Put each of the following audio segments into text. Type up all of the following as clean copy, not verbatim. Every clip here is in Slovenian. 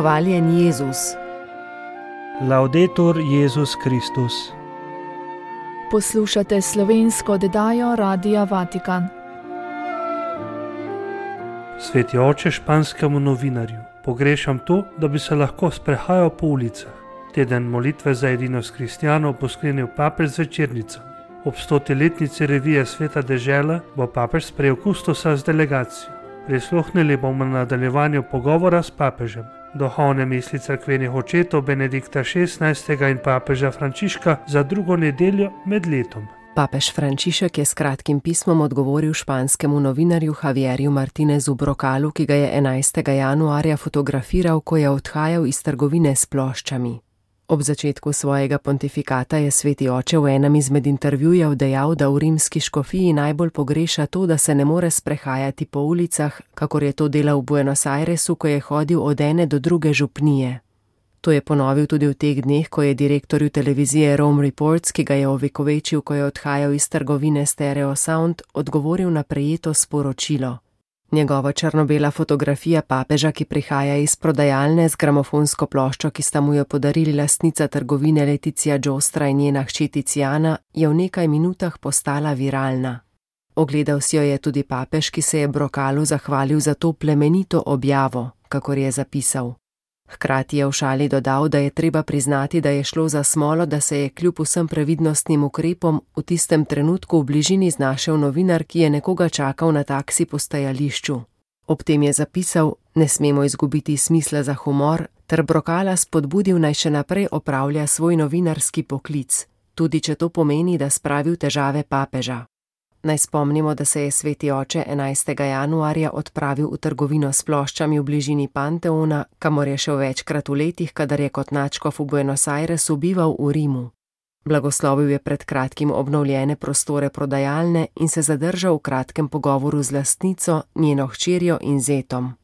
Hvaljen Jezus. Laudetur Jezus Kristus. Poslušate slovensko oddajo Radia Vatikan. Sveti oče španskemu novinarju, pogrešam to, da bi se lahko sprehajal po ulicah. Teden molitve za edinost kristjanov bo sklenil papež z večernicami. Ob 100-letnici revije Sveta dežela bo papež sprejel kustosa z delegacijo. Prisluhnili bomo nadaljevanju pogovora s papežem. Duhovne misli cerkvenih očetov Benedikta XVI. In papeža Frančiška za drugo nedeljo med letom. Papež Frančišek je s kratkim pismom odgovoril španskemu novinarju Javierju Martinezu Brocalu, ki ga je 11. januarja fotografiral, ko je odhajal iz trgovine s ploščami. Ob začetku svojega pontifikata je sveti oče v enem izmed intervjujev dejal, da v rimski škofiji najbolj pogreša to, da se ne more sprehajati po ulicah, kakor je to delal v Buenos Airesu, ko je hodil od ene do druge župnije. To je ponovil tudi v teh dneh, ko je direktorju televizije Rome Reports, ki ga je ovekovečil, ko je odhajal iz trgovine Stereo Sound, odgovoril na prejeto sporočilo. Njegova črno-bela fotografija papeža, ki prihaja iz prodajalne z gramofonsko ploščo, ki sta mu jo podarili lastnica trgovine Leticia Giostra in njena hči Tiziana, je v nekaj minutah postala viralna. Ogledal si jo je tudi papež, ki se je Brocalu zahvalil za to plemenito objavo, kakor je zapisal. Hkrati je v šali dodal, da je treba priznati, da je šlo za smolo, da se je kljub vsem previdnostnim ukrepom v tistem trenutku v bližini znašel novinar, ki je nekoga čakal na taksi postajališču. Ob tem je zapisal, ne smemo izgubiti smisla za humor, ter Brocala spodbudil naj še naprej opravlja svoj novinarski poklic, tudi če to pomeni, da spravi v težave papeža. Naj spomnimo, da se je sveti oče 11. januarja odpravil v trgovino s ploščami v bližini Panteona, kamor je šel večkrat v letih, kadar je kot nadškof v Buenos Airesu bival v Rimu. Blagoslovil je pred kratkim obnovljene prostore prodajalne in se zadržal v kratkem pogovoru z lastnico, njeno hčerjo in zetom.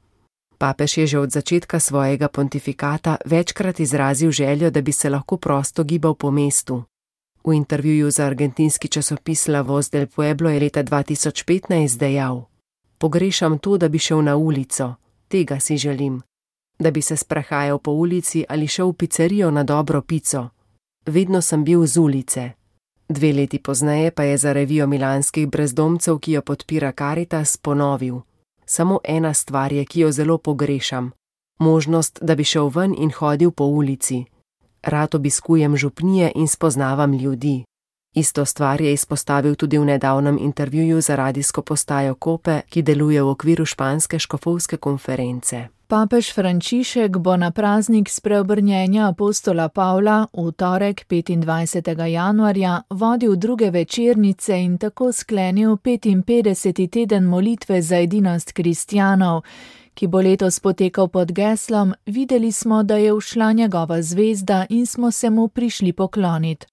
Papež je že od začetka svojega pontifikata večkrat izrazil željo, da bi se lahko prosto gibal po mestu. V intervjuju za argentinski časopis La Voz del Pueblo je leta 2015 dejal: "Pogrešam to, da bi šel na ulico, tega si želim. Da bi se sprehajal po ulici ali šel v pizzerijo na dobro pico. Vedno sem bil z ulice." 2 leti pozneje pa je za revijo milanskih brezdomcev, ki jo podpira Caritas, ponovil: "Samo ena stvar je, ki jo zelo pogrešam. Možnost, da bi šel ven in hodil po ulici. Rad obiskujem župnije in spoznavam ljudi." Isto stvar je izpostavil tudi v nedavnem intervjuju za radijsko postajo Kope, ki deluje v okviru španske škofovske konference. Papež Frančišek bo na praznik spreobrnjenja apostola Pavla v torek 25. januarja vodil druge večernice in tako sklenil 55. teden molitve za edinost kristjanov, ki bo letos potekal pod geslom "Videli smo, da je ušla njegova zvezda in smo se mu prišli pokloniti".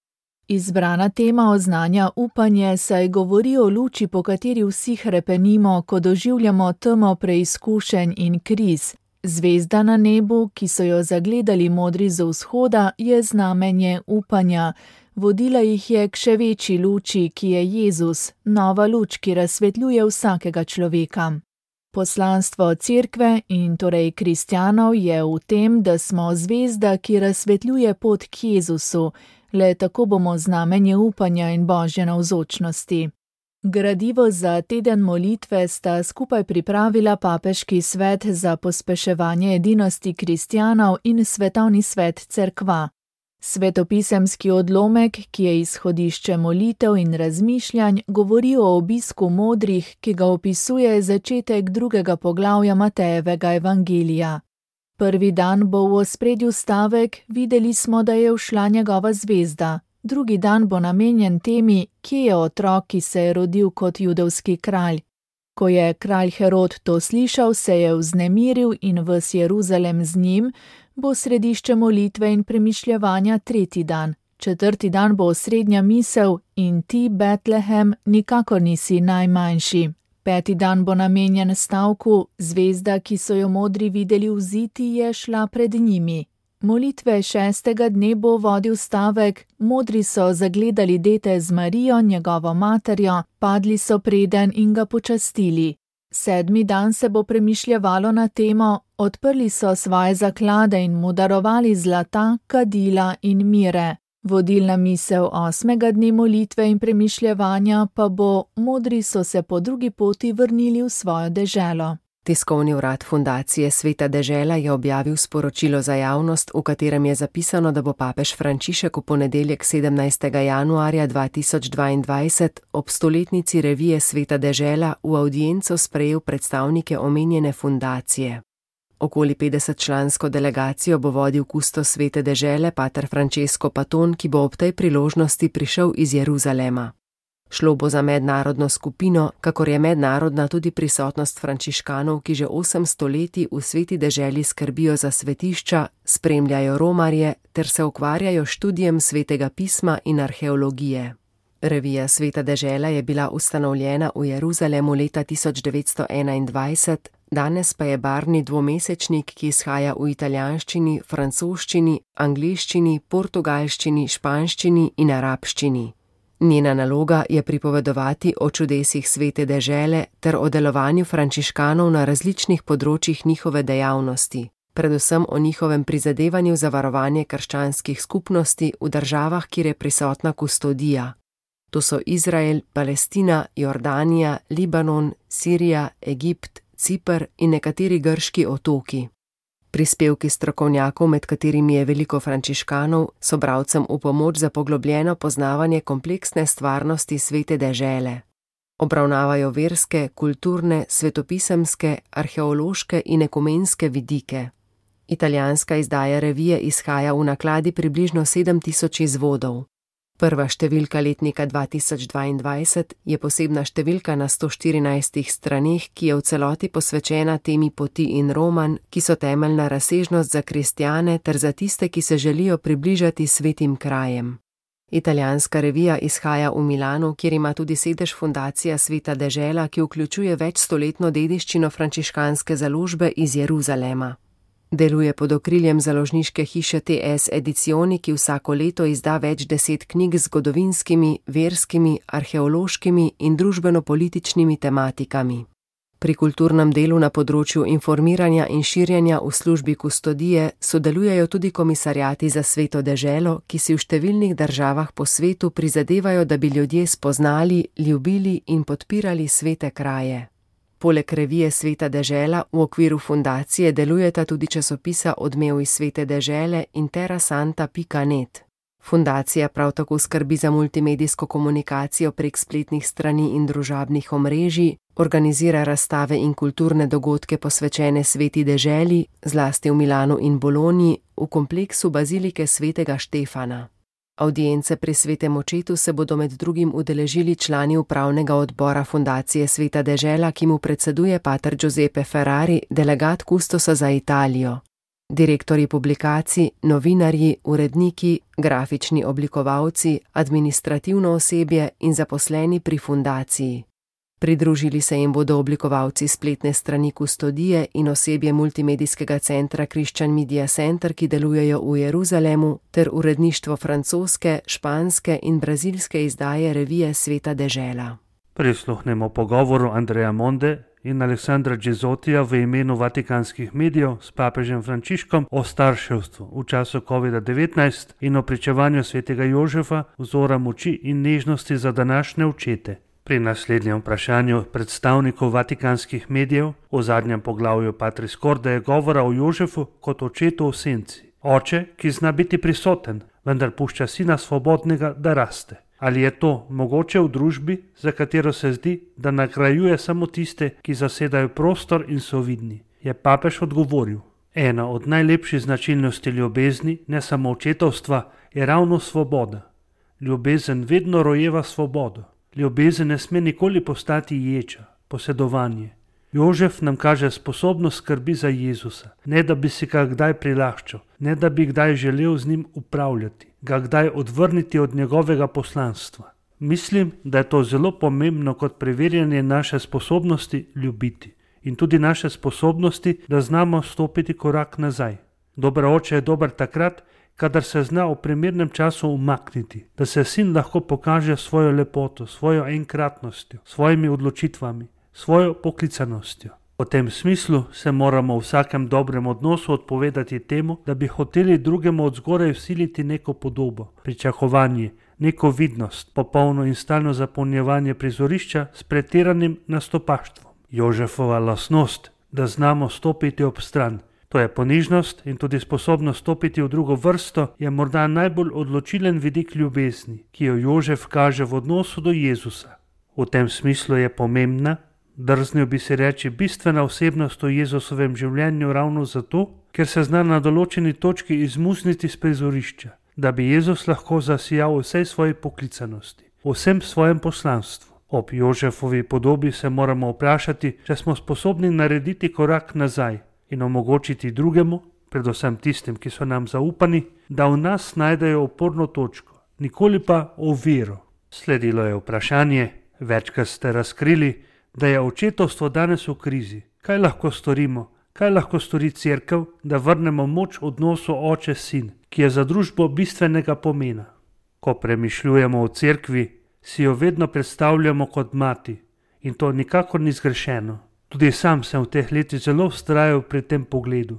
Izbrana tema oznanja upanje, saj govori o luči, po kateri vsi hrepenimo, ko doživljamo temo preizkušenj in kriz. Zvezda na nebu, ki so jo zagledali modri z vzhoda, je znamenje upanja. Vodila jih je k še večji luči, ki je Jezus, nova luč, ki razsvetljuje vsakega človeka. Poslanstvo cerkve in torej kristjanov je v tem, da smo zvezda, ki razsvetljuje pot k Jezusu, le tako bomo znamenje upanja in božje navzočnosti. Gradivo za teden molitve sta skupaj pripravila Papeški svet za pospeševanje edinosti kristjanov in Svetovni svet cerkva. Svetopisemski odlomek, ki je izhodišče molitev in razmišljanj, govori o obisku modrih, ki ga opisuje začetek 2. poglavja Matejevega evangelija. Prvi dan bo v ospredju stavek "Videli smo, da je ušla njegova zvezda". Drugi dan bo namenjen temi, kje je otrok, ki se je rodil kot judovski kralj. Ko je kralj Herod to slišal, se je vznemiril in ves Jeruzalem z njim, bo središče molitve in premišljevanja 3. dan. 4. dan bo osrednja misel in ti, Betlehem, nikakor nisi najmanjši. 5. dan bo namenjen stavku "Zvezda, ki so jo modri videli vziti, je šla pred njimi". Molitve 6. dne bo vodil stavek "Modri so zagledali dete z Marijo, njegovo materjo, padli so preden in ga počastili". 7. dan se bo premišljevalo na temo, odprli so svoje zaklade in mu darovali zlata, kadila in mire. Vodilna misel 8. dne molitve in premišljevanja pa bo, modri so se po drugi poti vrnili v svojo deželo. Tiskovni urad Fundacije Sveta dežela je objavil sporočilo za javnost, v katerem je zapisano, da bo papež Frančišek v ponedeljek 17. januarja 2022 ob stoletnici revije Sveta dežela v avdienco sprejel predstavnike omenjene fundacije. Okoli 50-člansko delegacijo bo vodil kustos Svete dežele pater Francesco Paton, ki bo ob tej priložnosti prišel iz Jeruzalema. Šlo bo za mednarodno skupino, kakor je mednarodna tudi prisotnost frančiškanov, ki že 8 stoletij v Sveti deželi skrbijo za svetišča, spremljajo romarje ter se ukvarjajo študijem Svetega pisma in arheologije. Revija Sveta dežela je bila ustanovljena v Jeruzalemu leta 1921, danes pa je barvni dvomesečnik, ki izhaja v italijanščini, francoščini, angleščini, portugalščini, španščini in arabščini. Njena naloga je pripovedovati o čudesih Svete dežele ter o delovanju frančiškanov na različnih področjih njihove dejavnosti, predvsem o njihovem prizadevanju za varovanje krščanskih skupnosti v državah, kjer je prisotna kustodija. To so Izrael, Palestina, Jordanija, Libanon, Sirija, Egipt, Ciper in nekateri grški otoki. Prispevki strokovnjakov, med katerimi je veliko frančiškanov, so bralcem v pomoč za poglobljeno poznavanje kompleksne stvarnosti Svete dežele. Obravnavajo verske, kulturne, svetopisemske, arheološke in ekumenske vidike. Italijanska izdaja revije izhaja v nakladi približno 7000 izvodov. Prva številka letnika 2022 je posebna številka na 114 straneh, ki je v celoti posvečena temi poti in roman, ki so temeljna razsežnost za kristjane ter za tiste, ki se želijo približati svetim krajem. Italijanska revija izhaja v Milanu, kjer ima tudi sedež Fundacija Sveta dežela, ki vključuje večstoletno dediščino frančiškanske založbe iz Jeruzalema. Deluje pod okriljem založniške hiše TS Edizioni, ki vsako leto izda več 10 knjig z zgodovinskimi, verskimi, arheološkimi in družbeno-političnimi tematikami. Pri kulturnem delu na področju informiranja in širjenja v službi kustodije sodelujejo tudi komisarjati za Sveto deželo, ki si v številnih državah po svetu prizadevajo, da bi ljudje spoznali, ljubili in podpirali svete kraje. Poleg revije Sveta dežela v okviru fundacije delujeta tudi časopisa Odmev iz Svete dežele in terrasanta.net. Fundacija prav tako skrbi za multimedijsko komunikacijo prek spletnih strani in družabnih omrežij, organizira razstave in kulturne dogodke posvečene Sveti deželi, zlasti v Milanu in Bologni, v kompleksu bazilike Svetega Štefana. Avdience pri Svetem očetu se bodo med drugim udeležili člani upravnega odbora Fundacije Sveta dežela, ki mu predseduje pater Giuseppe Ferrari, delegat kustosa za Italijo. Direktorji publikacij, novinarji, uredniki, grafični oblikovalci, administrativno osebje in zaposleni pri fundaciji. Pridružili se jim bodo oblikovalci spletne strani kustodije in osebje multimedijskega centra Christian Media Center, ki delujejo v Jeruzalemu, ter uredništvo francoske, španske in brazilske izdaje revije Sveta dežela. Prisluhnemo pogovoru Andreja Monde in Aleksandra Džezotija v imenu vatikanskih medijev s papežem Frančiškom o starševstvu v času COVID-19 in o pričevanju svetega Jožefa, vzora moči in nežnosti za današnje očete. Pri naslednjem vprašanju predstavnikov vatikanskih medijev v zadnjem poglavju Patris Corde je govora o Jožefu kot očetu v senci. Oče, ki zna biti prisoten, vendar pušča sina svobodnega, da raste. Ali je to mogoče v družbi, za katero se zdi, da nagrajuje samo tiste, ki zasedajo prostor in so vidni? Je papež odgovoril: ena od najlepših značilnosti ljubezni, ne samo očetovstva, je ravno svoboda. Ljubezen vedno rojeva svobodo. Ljubezen ne sme nikoli postati ječa, posedovanje. Jožef nam kaže sposobnost skrbi za Jezusa, ne da bi si ga kdaj prilaščal, ne da bi kdaj želel z njim upravljati, ga kdaj odvrniti od njegovega poslanstva. Mislim, da je to zelo pomembno kot preverjanje naše sposobnosti ljubiti in tudi naše sposobnosti, da znamo stopiti korak nazaj. Dober oče je dober takrat, kadar se zna v primernem času umakniti, da se sin lahko pokaže svojo lepoto, svojo enkratnostjo, svojimi odločitvami, svojo poklicanostjo. V tem smislu se moramo v vsakem dobrem odnosu odpovedati temu, da bi hoteli drugemu od zgoraj vsiliti neko podobo, pričakovanje, neko vidnost, popolno in stalno zapolnjevanje prizorišča s pretiranim nastopaštvom. Jožefova lastnost, da znamo stopiti ob stran, to je ponižnost in tudi sposobnost stopiti v drugo vrsto, je morda najbolj odločilen vidik ljubezni, ki jo Jožef kaže v odnosu do Jezusa. V tem smislu je pomembna, drznil bi si reči, bistvena osebnost v Jezusovem življenju ravno zato, ker se zna na določeni točki izmuzniti z prizorišča, da bi Jezus lahko zasijal vsej svoji poklicanosti, vsem svojem poslanstvu. Ob Jožefovi podobi se moramo vprašati, če smo sposobni narediti korak nazaj in omogočiti drugemu, predvsem tistim, ki so nam zaupani, da v nas najdejo oporno točko, nikoli pa oviro. Sledilo je vprašanje, večkrat ste razkrili, da je očetovstvo danes v krizi. Kaj lahko storimo? Kaj lahko stori cerkev, da vrnemo moč odnosu oče-sin, ki je za družbo bistvenega pomena? Ko premišljujemo o cerkvi, si jo vedno predstavljamo kot mati in to nikakor ni zgrešeno. Tudi sam sem v teh letih zelo vztrajal pri tem pogledu,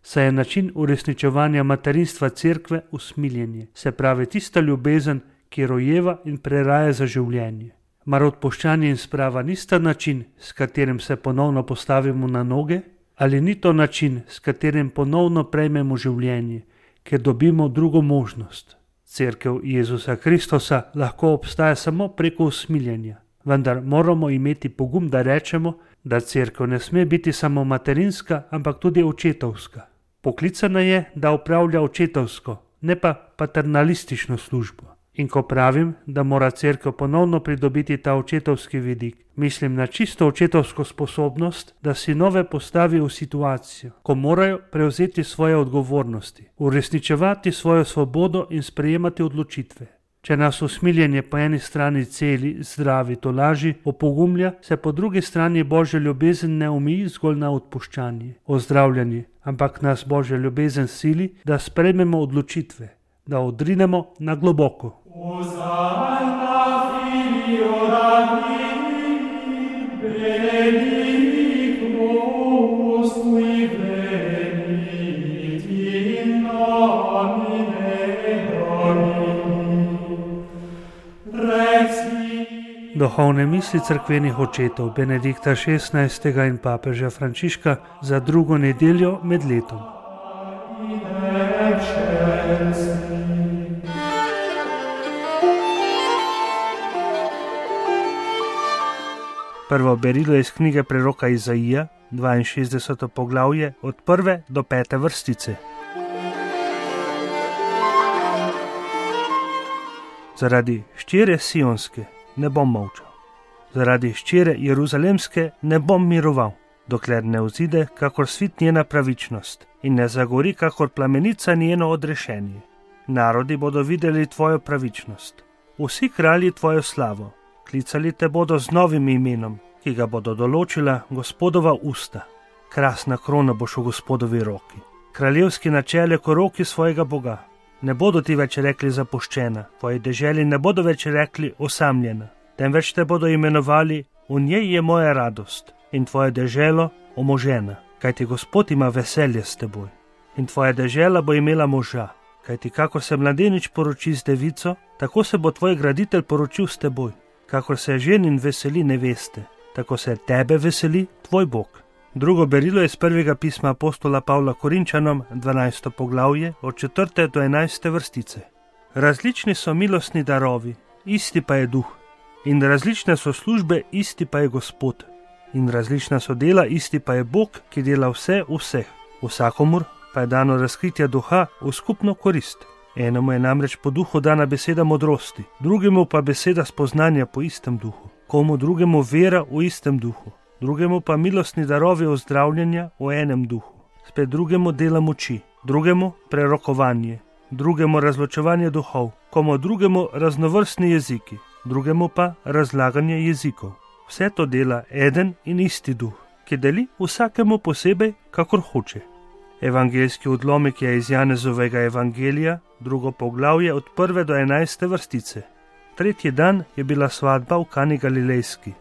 saj je način uresničevanja materinstva cerkve usmiljenje, se pravi tista ljubezen, ki rojeva in preraja za življenje. Mar odpuščanje in sprava nista način, s katerim se ponovno postavimo na noge, ali ni to način, s katerim ponovno prejmemo življenje, ker dobimo drugo možnost? Cerkev Jezusa Kristusa lahko obstaja samo preko usmiljenja, vendar moramo imeti pogum, da rečemo, da cerkev ne sme biti samo materinska, ampak tudi očetovska. Poklicana je, da opravlja očetovsko, ne pa paternalistično službo. In ko pravim, da mora cerkev ponovno pridobiti ta očetovski vidik, mislim na čisto očetovsko sposobnost, da sinove postavi v situacijo, ko morajo prevzeti svoje odgovornosti, uresničevati svojo svobodo in sprejemati odločitve. Če nas usmiljenje po eni strani celi, zdravi, tolaži, opogumlja, se po drugi strani Božja ljubezen ne omeji zgolj na odpuščanje, ozdravljanje, ampak nas Božja ljubezen sili, da sprejmemo odločitve, da odrinemo na globoko. Duhovne misli cerkvenih očetov Benedikta XVI. In papeža Frančiška za drugo nedeljo med letom. Prvo berilo je iz knjige preroka Izaija, 62. poglavje, od 1. do 5. vrstice. Zaradi hčere Sionske ne bom molčal, zaradi hčere Jeruzalemske ne bom miroval, dokler ne vzide kakor svit njena pravičnost in ne zagori kakor plamenica njeno odrešenje. Narodi bodo videli tvojo pravičnost, vsi kralji tvojo slavo, klicali te bodo z novim imenom, ki ga bodo določila Gospodova usta. Krasna krona boš v Gospodovi roki, kraljevski načelje ko roki svojega Boga. Ne bodo ti več rekli zapuščena, tvoji deželi ne bodo več rekli osamljena, temveč te bodo imenovali v njej je moja radost in tvoje deželo omožena, kajti Gospod ima veselje s teboj. In tvoja dežela bo imela moža, kajti kakor se mladenič poroči z devico, tako se bo tvoj graditelj poročil s teboj. Kakor se ženin veseli neveste, tako se tebe veseli tvoj Bog. Drugo berilo je iz prvega pisma apostola Pavla Korinčanom, 12. poglavje, od 4. do 11. vrstice. Različni so milostni darovi, isti pa je duh. In različne so službe, isti pa je Gospod. In različna so dela, isti pa je Bog, ki dela vse v vseh. Vsakomur pa je dano razkritje duha v skupno korist. Enemu je namreč po duhu dana beseda modrosti, drugemu pa beseda spoznanja po istem duhu, komu drugemu vera v istem duhu, drugemu pa milostni darovi ozdravljanja v enem duhu, spet drugemu dela moči, drugemu prerokovanje, drugemu razločevanje duhov, komu drugemu raznovrstni jeziki, drugemu pa razlaganje jezikov. Vse to dela eden in isti duh, ki deli vsakemu posebej, kakor hoče. Evangeljski odlomek je iz Janezovega evangelija, drugo poglavje od 1. do 11. vrstice. Tretji dan je bila svatba v Kani Galilejski.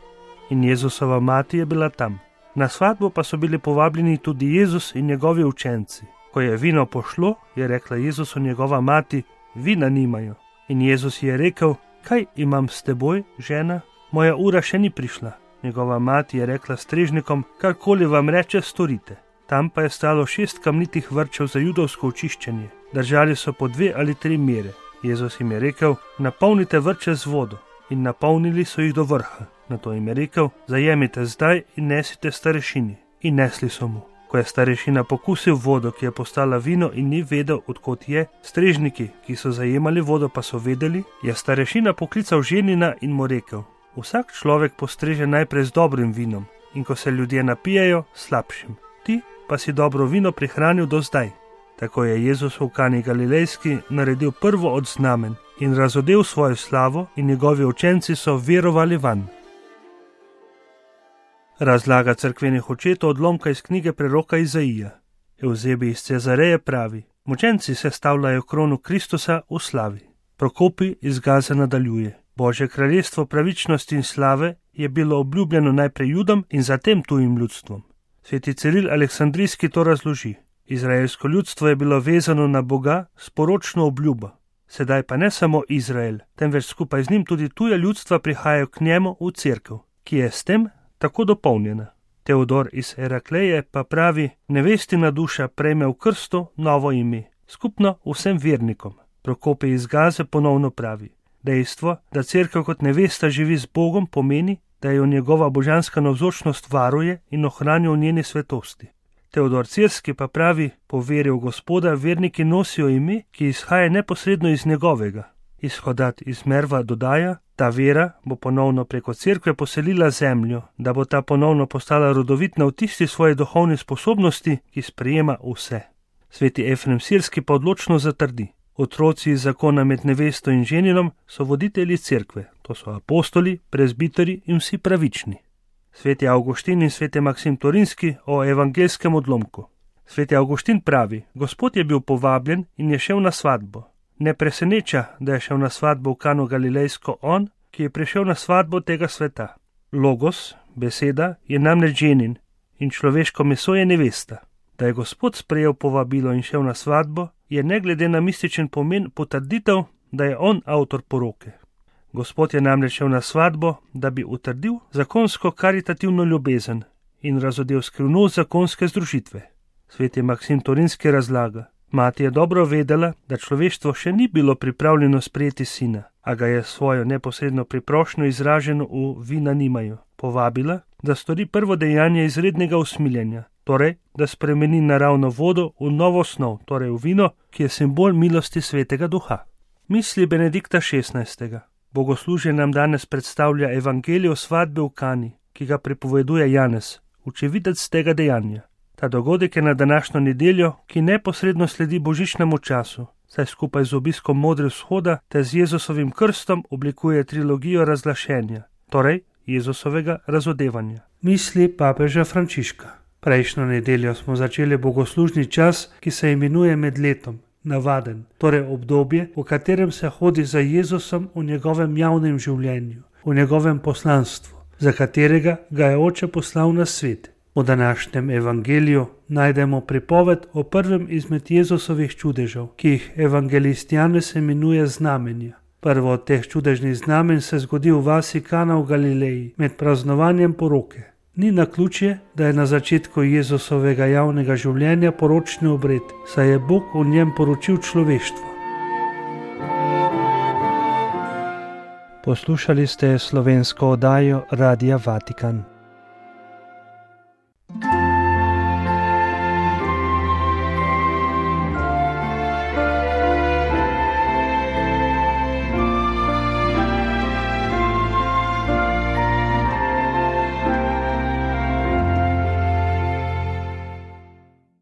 in Jezusova mati je bila tam. Na svatbo pa so bili povabljeni tudi Jezus in njegovi učenci. Ko je vino pošlo, je rekla Jezusu njegova mati: vina nimajo. In Jezus je rekel: kaj imam s teboj, žena? Moja ura še ni prišla. Njegova mati je rekla strežnikom: karkoli vam reče, storite. Tam pa je stalo 6 kamnitih vrčev za judovsko očiščenje. Držali so po 2 ali 3 mere. Jezus jim je rekel: napolnite vrče z vodo. In napolnili so jih do vrha. Nato jim je rekel: zajemite zdaj in nesite starešini. In nesli so mu. Ko je starešina pokusil vodo, ki je postala vino in ni vedel, odkot je, strežniki, ki so zajemali vodo, pa so vedeli, je starešina poklical ženina in mu rekel: vsak človek postreže najprej z dobrim vinom in ko se ljudje napijejo, slabšim. Ti pa si dobro vino prihranil do zdaj. Tako je Jezus v Kani Galilejski naredil prvo od znamen in razodel svojo slavo in njegovi učenci so verovali vanj. Razlaga cerkvenih očetov odlomka iz knjige preroka Izaija. Evzebi iz Cezareje pravi: mučenci sestavljajo krono Kristusa v slavi. Prokopi iz Gaze nadaljuje: Božje kraljestvo pravičnosti in slave je bilo obljubljeno najprej Judom in zatem tujim ljudstvom. Sveti Ciril Aleksandrijski to razloži: izraelsko ljudstvo je bilo vezano na Boga s poročno obljubo. Sedaj pa ne samo Izrael, temveč skupaj z njim tudi tuja ljudstva prihajajo k njemu v cerkev, ki je s tem tako dopolnjena. Teodor iz Herakleje pa pravi: nevestina duša prejme v krstu novo ime, skupno vsem vernikom. Prokopi iz Gaze ponovno pravi: dejstvo, da cerkev kot nevesta živi z Bogom, pomeni, da jo njegova božanska navzočnost varuje in ohranja v njeni svetosti. Teodor Cirski pa pravi: po veri v Gospoda verniki nosijo ime, ki izhaja neposredno iz njegovega. Izhodat iz Merva dodaja: ta vera bo ponovno preko cerkve poselila zemljo, da bo ta ponovno postala rodovitna v tisti svoji duhovni sposobnosti, ki sprejema vse. Sveti Efrem Sirski pa odločno zatrdi: otroci iz zakona med nevesto in ženinom so voditelji cerkve, to so apostoli, prezbiteri in vsi pravični. Sveti Avguštin in sveti Maksim Torinski o evangelskem odlomku. Sveti Avguštin pravi: Gospod je bil povabljen in je šel na svatbo. Ne preseneča, da je šel na svatbo v Kano Galilejsko on, ki je prišel na svatbo tega sveta. Logos, beseda, je namreč ženin in človeško meso je nevesta. Da je Gospod sprejel povabilo in šel na svatbo, je ne glede na mističen pomen potrditev, da je on avtor poroke. Gospod je namreč šel na svatbo, da bi utrdil zakonsko karitativno ljubezen in razodel skrivnost zakonske združitve. Sveti Maksim Torinski razlaga: mati je dobro vedela, da človeštvo še ni bilo pripravljeno sprejeti sina, a ga je svojo neposredno priprošnjo izraženo v vina nimajo povabila, da stori prvo dejanje izrednega usmiljenja, torej, da spremeni naravno vodo v novo snov, torej v vino, ki je simbol milosti svetega duha. Misli Benedikta XVI. Bogoslužje nam danes predstavlja evangelijo svatbe v Kani, ki ga pripoveduje Janez, očividec tega dejanja. Ta dogodek je na današnjo nedeljo, ki neposredno sledi božičnemu času, saj skupaj z obiskom modre vzhoda ter z Jezusovim krstom oblikuje trilogijo razglašenja, torej Jezusovega razodevanja. Misli papeža Frančiška. Prejšnjo nedeljo smo začeli bogoslužni čas, ki se imenuje med letom, navaden, torej obdobje, v katerem se hodi za Jezusom v njegovem javnem življenju, v njegovem poslanstvu, za katerega ga je Oče poslal na svet. V današnjem evangeliju najdemo pripoved o prvem izmed Jezusovih čudežev, ki jih evangelist Janez imenuje znamenja. Prvo od teh čudežnih znamen se zgodi v vasi Kana v Galileji med praznovanjem poroke. Ni naključje, da je na začetku Jezusovega javnega življenja poročni obred, saj je Bog v njem poročil človeštvo. Poslušali ste slovensko oddajo Radia Vatikan.